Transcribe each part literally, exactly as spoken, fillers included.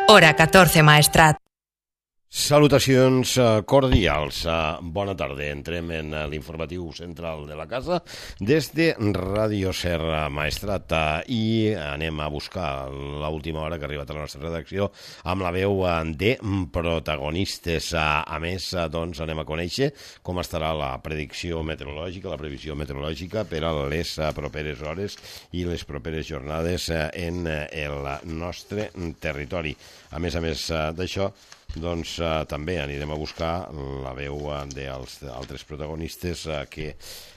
Hora catorze, Maestrat. Salutacions cordials, bona tarda. Entrem en l'informatiu central de la casa des de Ràdio Serra Maestrat i anem a buscar l'última hora que ha arribat a la nostra redacció amb la veu de protagonistes. A més, doncs, anem a conèixer com estarà la predicció meteorològica, la previsió meteorològica per a les properes hores i les properes jornades en el nostre territori. A més a més d'això, doncs eh, també anirem a buscar la veu eh, dels altres protagonistes eh, que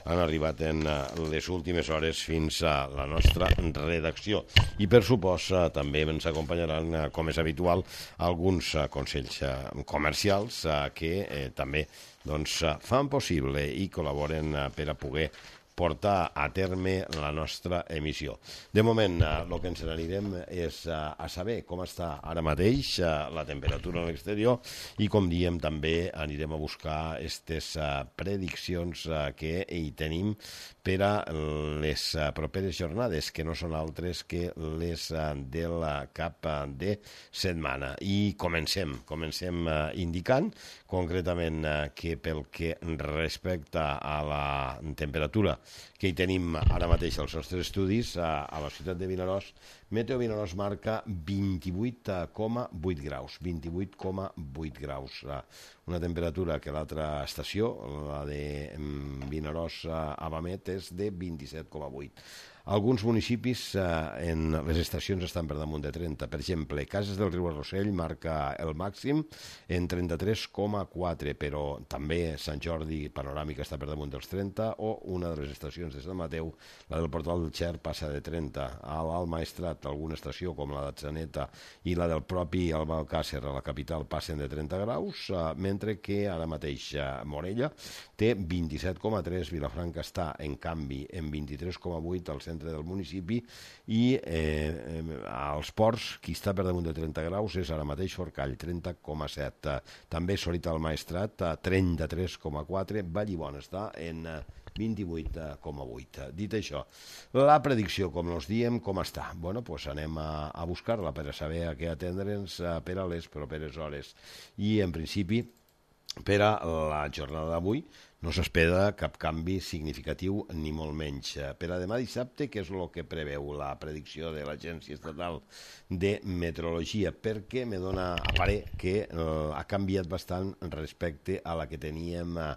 han arribat en eh, les últimes hores fins a la nostra redacció. I per supost eh, també ens acompanyaran, eh, com és habitual, alguns eh, consells eh, comercials eh, que eh, també doncs, eh, fan possible i col·laboren eh, per a poder portar a terme la nostra emissió. De moment, el que ens n'anirem és a saber com està ara mateix la temperatura a l'exterior i, com diem, també anirem a buscar aquestes prediccions que hi tenim per a les properes jornades, que no són altres que les de la cap de setmana. I comencem, comencem indicant concretament que pel que respecta a la temperatura que hi tenim ara mateix als nostres estudis, a, a la ciutat de Vinaròs, Meteo Vinaròs marca vint-i-vuit coma vuit graus, vint-i-vuit coma vuit graus. Una temperatura que l'altra estació, la de Vinaròs a Bamet, és de vint-i-set coma vuit. Alguns municipis eh, en les estacions estan per damunt de trenta. Per exemple, Cases del Riu Arrossell marca el màxim en trenta-tres coma quatre, però també Sant Jordi Panoràmica està per damunt dels trenta, o una de les estacions de Sant Mateu, la del Portal del Xer, passa de trenta. A l'Alt Maestrat, alguna estació com la d'Atzeneta i la del propi Albalcàsser, a la capital, passen de trenta graus, eh, mentre que ara mateix eh, Morella té vint-i-set coma tres, Vilafranca està, en canvi, en vint-i-tres coma vuit al centre del municipi, i eh, als ports qui està per damunt de trenta graus és ara mateix Forcall, trenta coma set. També Sorita al Maestrat, trenta-tres coma quatre, Vallibona està en vint-i-vuit coma vuit. Dit això, la predicció, com nos diem, com està? Bueno, pues anem a, a buscar-la per a saber a què atendre'ns per a les properes hores. I, en principi, per a la jornada d'avui no s'espera cap canvi significatiu ni molt menys. Per a demà dissabte, què és el que preveu la predicció de l'Agència Estatal de Meteorologia? Perquè me dona a parer que eh, ha canviat bastant respecte a la que teníem eh,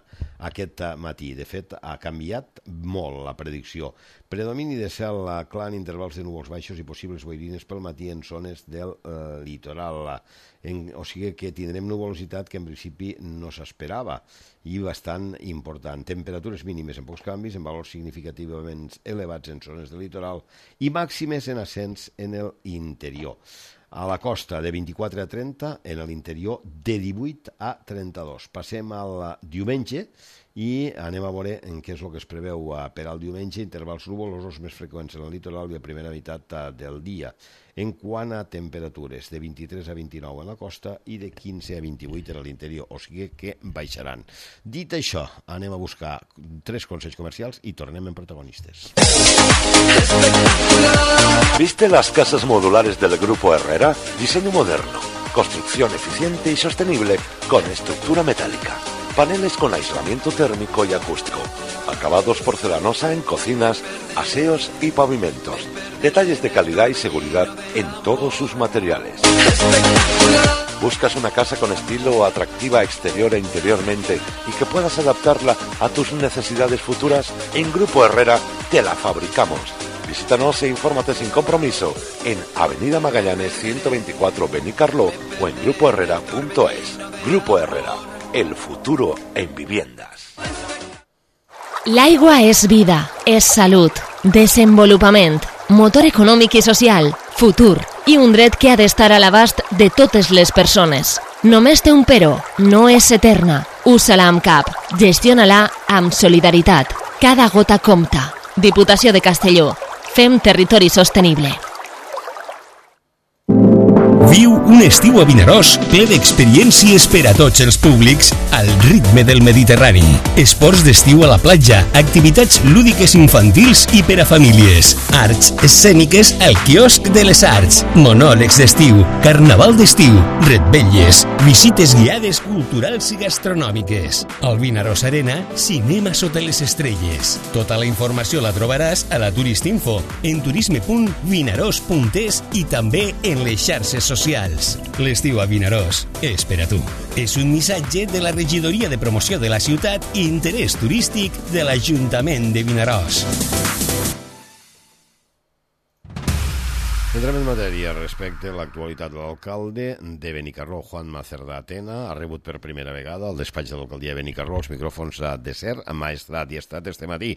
aquest matí. De fet, ha canviat molt la predicció. Predomini de cel clar en intervals de núvols baixos i possibles boirines pel matí en zones del eh, litoral. En, o sigui que tindrem nuvolositat que en principi no s'esperava i bastant important. Temperatures mínimes en pocs canvis, en valors significativament elevats en zones del litoral i màximes en ascens en l'interior. A la costa de vint-i-quatre a trenta, en l'interior de divuit a trenta-dos. Passem al diumenge i anem a veure en què és el que es preveu per al diumenge. Intervals nuvolosos més freqüents en el litoral i a primera meitat del dia. En quant a temperatures, de vint-i-tres a vint-i-nou en la costa i de quinze a vint-i-vuit en l'interior, o sigui que baixaran. Dit això, anem a buscar tres consells comercials i tornem en protagonistes. ¿Viste las casas modulares del Grupo Herrera? Diseño moderno, construcción eficiente y sostenible con estructura metálica. Paneles con aislamiento térmico y acústico. Acabados porcelanosa en cocinas, aseos y pavimentos. Detalles de calidad y seguridad en todos sus materiales. ¿Buscas una casa con estilo, atractiva exterior e interiormente y que puedas adaptarla a tus necesidades futuras? En Grupo Herrera te la fabricamos. Visítanos e infórmate sin compromiso en Avenida Magallanes ciento veinticuatro Benicarló o en grupo herrera punto es. Grupo Herrera, el futuro en viviendas. L'aigua és vida, és salut, desenvolupament, motor econòmic i social, futur i un dret que ha d'estar a l'abast de totes les persones. Només té un però, no és eterna. Usa-la amb cap, gestiona-la amb solidaritat. Cada gota compta. Diputació de Castelló. Fem territori sostenible. Viu un estiu a Vinaròs ple d'experiències per a tots els públics al ritme del Mediterrani. Esports d'estiu a la platja, activitats lúdiques infantils i per a famílies, arts escèniques al quiosc de les arts, monòlegs d'estiu, carnaval d'estiu, revetlles, visites guiades culturals i gastronòmiques. Al Vinaròs Arena, cinema sota les estrelles. Tota la informació la trobaràs a la Turistinfo, en turisme punt vinaròs punt es i també en les xarxes socials. L'estiu a Vinaròs és per a tu. És un missatge de la Regidoria de Promoció de la Ciutat i Interès Turístic de l'Ajuntament de Vinaròs. Entrem en matèria respecte a l'actualitat de l'alcalde de Benicarló, Juanma Cerdà Tena. Ha rebut per primera vegada al despatx de l'alcaldia de Benicarló els micròfons de SER, Maestrat i Estat este matí.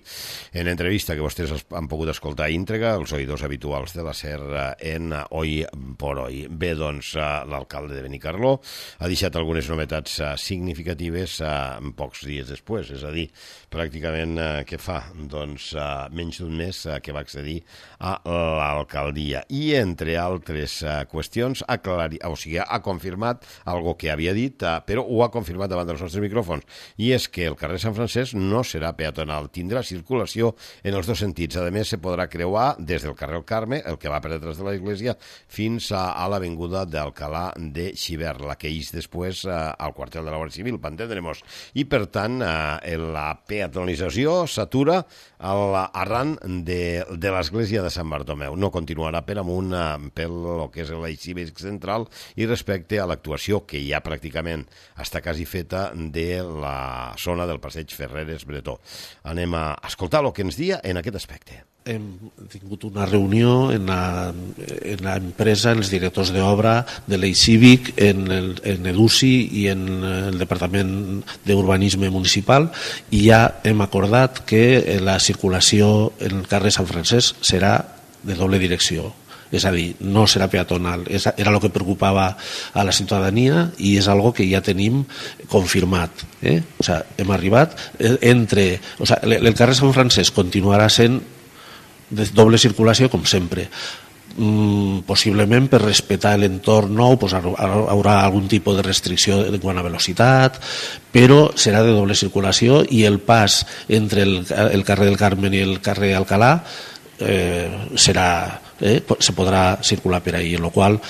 En entrevista que vostès han pogut escoltar íntegra, els oïdors habituals de la SER en Hoy por Hoy. Bé, doncs, l'alcalde de Benicarló ha deixat algunes novetats significatives en pocs dies després, és a dir, pràcticament què fa? Doncs menys d'un mes que va accedir a l'alcaldia. I entre altres uh, qüestions, ha, clari... o sigui, ha confirmat algo que havia dit, uh, però ho ha confirmat davant dels nostres micròfons, i és que el carrer Sant Francesc no serà peatonal, tindrà circulació en els dos sentits. A més, se podrà creuar des del carrer El Carme, el que va per detrás de l'església, fins a, a l'avinguda d'Alcalà de Xivert, la que ix després uh, al quartel de la Guàrdia Civil, per entendre'ns. I, per tant, uh, la peatonalització s'atura arran de, de l'església de Sant Bartomeu. No continuarà per amunt pel que és l'eix cívic central i respecte a l'actuació que ja pràcticament està quasi feta de la zona del passeig Ferreres Bretó. Anem a escoltar el que ens dia en aquest aspecte. Hem tingut una reunió en la, en la empresa, en els directors d'obra de l'eix cívic, en el, en l'EDUCI i en el Departament d'Urbanisme Municipal, i ja hem acordat que la circulació en el carrer Sant Francesc serà de doble direcció. És a dir, no serà peatonal. Era el que preocupava a la ciutadania i és algo que ja tenim confirmat. Eh? O sea, hem arribat entre... O sea, el carrer Sant Francesc continuarà sent de doble circulació com sempre. Mm, possiblement per respectar l'entorn nou pues, haurà algun tipus de restricció en quant a velocitat, però serà de doble circulació i el pas entre el, el carrer del Carmen i el carrer Alcalà eh, serà... Eh, se podrà circular per ahí, en lo qual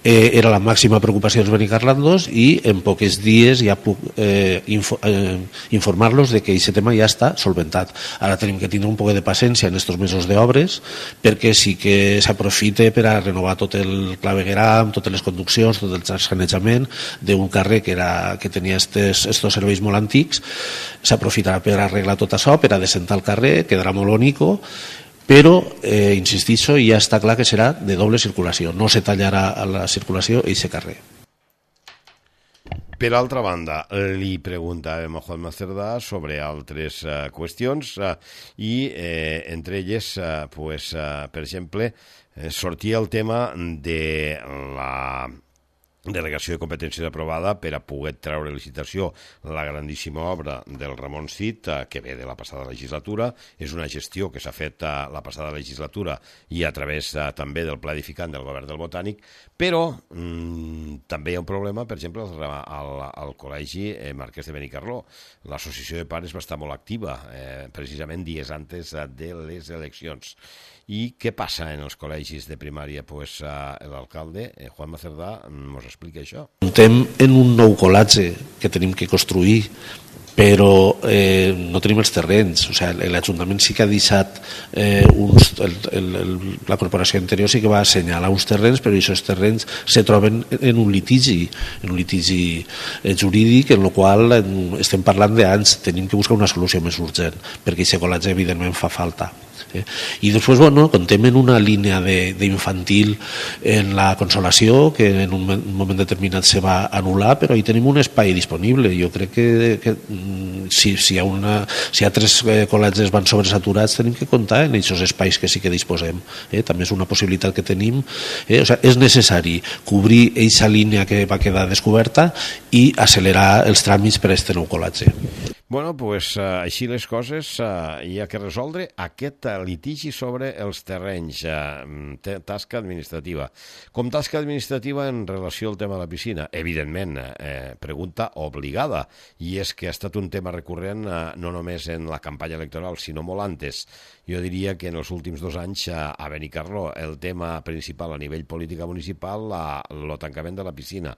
eh, era la màxima preocupació dels benicarlandos i en pocs dies ja puc eh, info, eh, informar-los de que aquest tema ja està solventat. Ara tenim que tindre un poc de paciència en aquests mesos d'obres perquè sí que s'aprofite per a renovar tot el clavegueram, totes les conduccions, tot el sanejament d'un carrer que, era, que tenia estos, estos serveis molt antics, s'aprofitarà per arreglar tot això, per a desentar el carrer, quedarà molt bonico, però, eh, insistixo, ja està clar que serà de doble circulació, no se tallarà a la circulació i aquest carrer. Per altra banda, li preguntàvem a Juanma Cerdà sobre altres uh, qüestions uh, i eh, entre elles, uh, pues, uh, per exemple, eh, sortia el tema de la delegació de competències aprovada per a poder treure licitació la grandíssima obra del Ramon Cid, que ve de la passada legislatura. És una gestió que s'ha fet a la passada legislatura i a través també del pla edificant del govern del Botànic, però mmm, també hi ha un problema, per exemple, al, al col·legi eh, Marquès de Benicarló. L'associació de pares va estar molt activa, eh, precisament dies antes de les eleccions. I què passa en els col·legis de primària? Pues, uh, l'alcalde, eh, Juanma Cerdà, ens explica això. Estem en un nou col·latge que tenim que construir, però eh, no tenim els terrenys. O sigui, l'Ajuntament sí que ha deixat eh, uns, el, el, el, la corporació anterior sí que va assenyalar uns terrenys, però aquests terrenys se troben en un litigi, en un litigi jurídic, en el qual estem parlant d'anys. Tenim que buscar una solució més urgent, perquè aquest col·latge evidentment fa falta. Eh? I després, bueno, contem en una línia d'infantil en la Consolació, que en un moment determinat se va anul·lar, però hi tenim un espai disponible. Jo crec que, que si, si, hi ha una, si hi ha tres col·legis van sobresaturats, tenim que comptar en aquests espais que sí que disposem. Eh? També és una possibilitat que tenim. Eh? O sigui, és necessari cobrir aquesta línia que va quedar descoberta i accelerar els tràmits per a aquest nou col·latge. Bueno, pues uh, així les coses, uh, hi ha que resoldre aquest uh, litigi sobre els terrenys, uh, tasca administrativa. Com tasca administrativa en relació al tema de la piscina? Evidentment, eh, pregunta obligada, i és que ha estat un tema recurrent uh, no només en la campanya electoral, sinó molt antes. Jo diria que en els últims dos anys uh, a Benicarló el tema principal a nivell política municipal, el tancament de la piscina.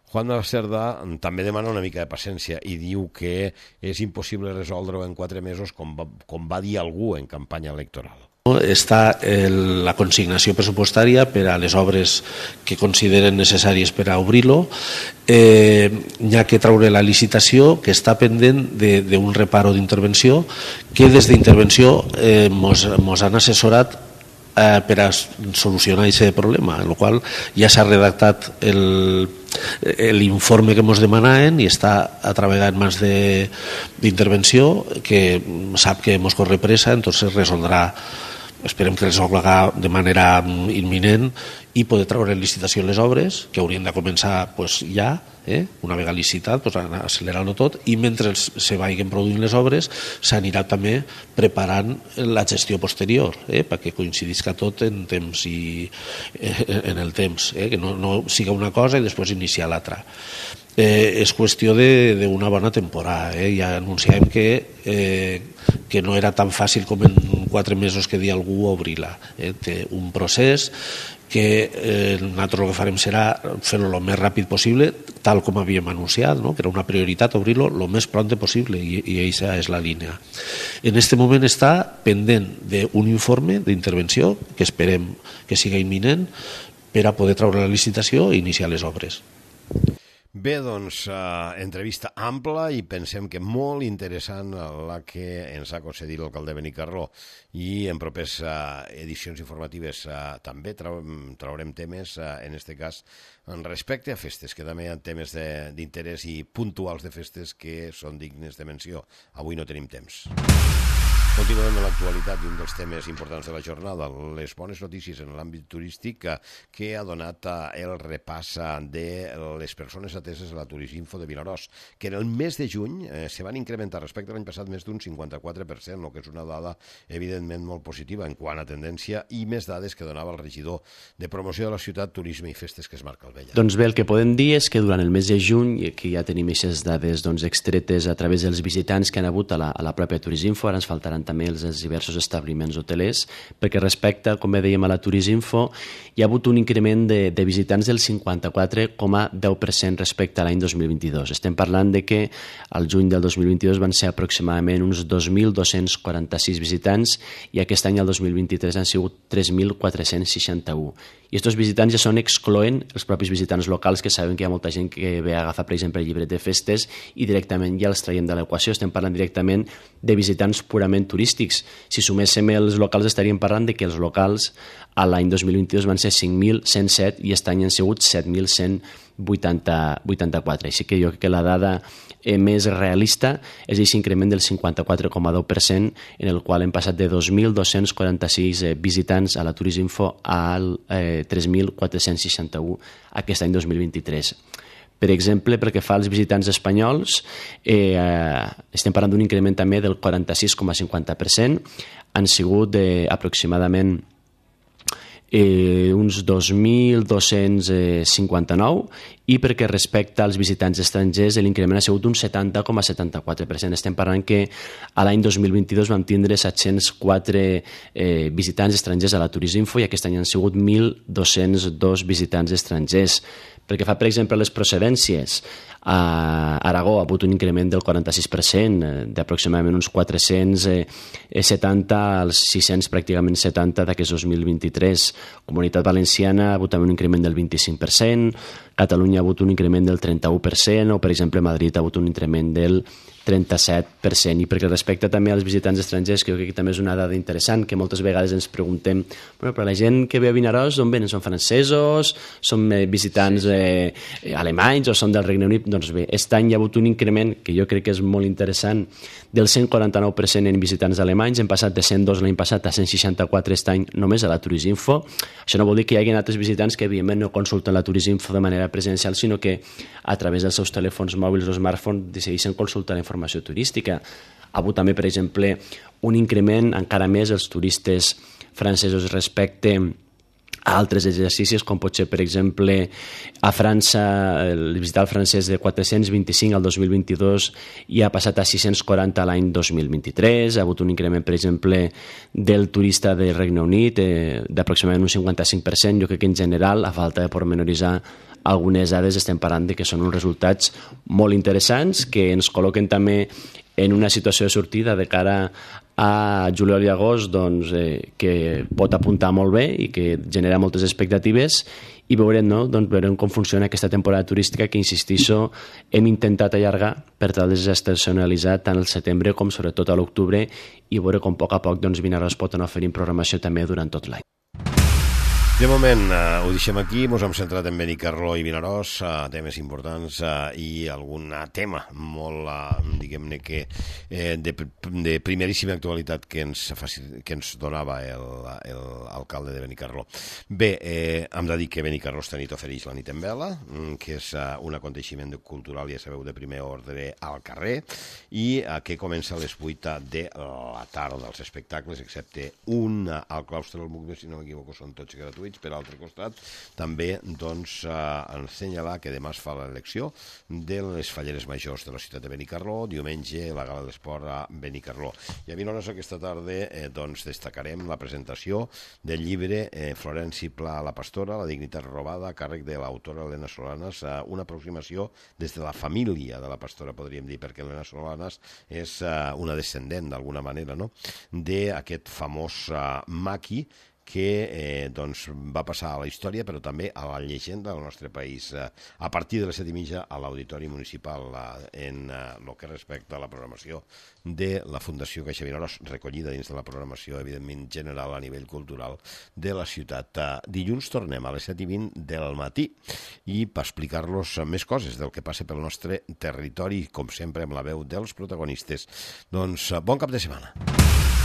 Juan de la Cerda també demana una mica de paciència i diu que és impossible resoldre-ho en quatre mesos, com va, com va dir algú en campanya electoral. Està el, la consignació pressupostària per a les obres que consideren necessàries per a obrir-lo. Eh, hi ha que treure la licitació, que està pendent d'un reparo d'intervenció, que des d'intervenció eh, mos, mos han assessorat eh, per a solucionar aquest problema, en el qual ja s'ha redactat el l'informe que ens demanaven i està a treballar en mans d'intervenció, que sap que ens corre pressa, entonces resoldrà, esperem que resolga de manera imminent i poder treure en licitació les obres, que haurien de començar pues, ja, eh? una vegada licitat, pues, accelerant-ho tot, i mentre se vagin produint les obres s'anirà també preparant la gestió posterior, eh? perquè coincidisca tot en temps i eh, en el temps, eh? que no, no siga una cosa i després iniciar l'altra. Eh, és qüestió d'una bona temporada, eh? ja anunciàvem que, eh, que no era tan fàcil com en quatre mesos que dia algú obrir-la. Eh? Té un procés que eh, nosaltres el que farem serà fer-ho el més ràpid possible, tal com havíem anunciat, no? que era una prioritat obrir-lo el més pront possible, i, i aquesta és la línia. En aquest moment està pendent d'un informe d'intervenció, que esperem que siga imminent, per a poder treure la licitació i iniciar les obres. Bé, doncs, uh, entrevista ampla i pensem que molt interessant la que ens ha concedit l'alcalde de Benicarló, i en propers uh, edicions informatives uh, també trau traurem temes, uh, en aquest cas, en respecte a festes, que també hi ha temes d'interès i puntuals de festes que són dignes de menció. Avui no tenim temps. Continuem amb l'actualitat i un dels temes importants de la jornada, les bones notícies en l'àmbit turístic que ha donat el repàs de les persones ateses a la Turisminfo de Vinaròs, que en el mes de juny eh, se van incrementar respecte a l'any passat més d'un cinquanta-quatre per cent, el que és una dada evidentment molt positiva en quant a tendència, i més dades que donava el regidor de promoció de la ciutat, turisme i festes, que és Marc Albella. Doncs bé, el que podem dir és que durant el mes de juny, i aquí ja tenim aquestes dades doncs, extretes a través dels visitants que han hagut a la, a la pròpia Turisminfo, ara ens faltaran també els, els diversos establiments hotelers, perquè respecte, com bé dèiem, a la Turisminfo, hi ha hagut un increment de, de visitants del cinquanta-quatre coma deu per cent respecte a l'any dos mil vint-i-dos. Estem parlant de que al juny del dos mil vint-i-dos van ser aproximadament uns dos mil dos-cents quaranta-sis visitants i aquest any, el dos mil vint-i-tres, han sigut tres mil quatre-cents seixanta-u. I aquests visitants ja són excloent els propis visitants locals, que saben que hi ha molta gent que ve a agafar, per exemple, el llibret de festes i directament ja els traiem de l'equació. Estem parlant directament de visitants purament turístics. Si suméssim els locals estaríem parlant de que els locals a l'any dos mil vint-i-dos van ser cinc mil cent set i aquest any han sigut set mil cent vuitanta-quatre. Així que jo crec que la dada eh, més realista és aquest increment del cinquanta-quatre coma deu per cent, en el qual hem passat de dos mil dos-cents quaranta-sis eh, visitants a la Turisminfo al eh, tres mil quatre-cents seixanta-u aquest any dos mil vint-i-tres. Per exemple, pel que fa als visitants espanyols, eh, estem parlant d'un increment també del quaranta-sis coma cinquanta per cent, han sigut eh, aproximadament Eh, uns dos mil dos-cents cinquanta-nou, i perquè respecte als visitants estrangers l'increment ha sigut un setanta coma setanta-quatre per cent. Estem parlant que a l'any dos mil vint-i-dos vam tindre set-cents quatre eh, visitants estrangers a la Turisminfo i aquest any han sigut mil dos-cents dos visitants estrangers. Perquè fa, per exemple, les procedències. A Aragó ha hagut un increment del quaranta-sis per cent, d'aproximadament uns quatre-cents setanta als sis-cents pràcticament setanta d'aquest dos mil vint-i-tres. Comunitat Valenciana ha hagut també un increment del vint-i-cinc per cent, Catalunya ha hagut un increment del trenta-u per cent, o per exemple Madrid ha hagut un increment del trenta-set per cent. I perquè respecte també als visitants estrangers, que jo crec que també és una dada interessant, que moltes vegades ens preguntem, bueno, però la gent que ve a Vinaròs, d'on venen? Són francesos? Són eh, visitants eh, alemanys o són del Regne Unit? Doncs bé, aquest any hi ha hagut un increment que jo crec que és molt interessant del cent quaranta-nou per cent en visitants alemanys. Hem passat de cent dos l'any passat a cent seixanta-quatre aquest any només a la Turisminfo. Això no vol dir que hi hagi altres visitants que evidentment no consulten la Turisminfo de manera presencial, sinó que a través dels seus telèfons mòbils o smartphones decideixen consultar la informació informació turística. Ha hagut també, per exemple, un increment encara més els turistes francesos respecte a altres exercicis, com pot ser, per exemple, a França, el visitar el francès de quatre-cents vint-i-cinc al dos mil vint-i-dos i ha passat a sis-cents quaranta l'any dos mil vint-i-tres. Ha hagut un increment, per exemple, del turista del Regne Unit eh, d'aproximadament un cinquanta-cinc per cent. Jo crec que en general, a falta de pormenoritzar algunes dades, estem parlant de que són uns resultats molt interessants que ens col·loquen també en una situació de sortida de cara a juliol i agost doncs, eh, que pot apuntar molt bé i que genera moltes expectatives i veurem, no? doncs, veurem com funciona aquesta temporada turística que, insistixo, hem intentat allargar per tal de desestacionalitzar tant el setembre com sobretot a l'octubre i veure com a poc a poc doncs, Vinaròs pot anar oferint programació també durant tot l'any. De moment eh, ho deixem aquí, ens hem centrat en Benicarló i Vinaròs, eh, temes importants eh, i algun tema molt, eh, diguem-ne que eh, de, de primeríssima actualitat que ens, que ens donava l'alcalde de Benicarló. Bé, eh, hem de dir que Benicarló esta nit ofereix la nit en vela, que és eh, un aconteixement cultural, ja sabeu, de primer ordre al carrer, i eh, que comença a les vuit de la tarda dels espectacles, excepte un al claustre del Muc, si no m'equivoco, són tots gratuïts. Per altre costat, també doncs, eh, assenyalar que demà es fa l'elecció de les falleres majors de la ciutat de Benicarló, diumenge la gala d'esport a Benicarló. I a Vinaròs aquesta tarda eh, doncs, destacarem la presentació del llibre eh, Florenci Pla, la pastora, la dignitat robada, a càrrec de l'autora Elena Solanas, eh, una aproximació des de la família de la pastora, podríem dir, perquè Elena Solanas és eh, una descendent, d'alguna manera, no?, d'aquest famós eh, maqui que eh, doncs, va passar a la història, però també a la llegenda del nostre país, eh, a partir de les set i mitja a l'Auditori Municipal, eh, en el eh, que respecta a la programació de la Fundació Caixa Vinaròs, recollida dins de la programació, evidentment, general a nivell cultural de la ciutat. Eh, dilluns tornem a les set i vint del matí i per explicar-los més coses del que passa pel nostre territori, com sempre amb la veu dels protagonistes. Doncs bon cap de setmana.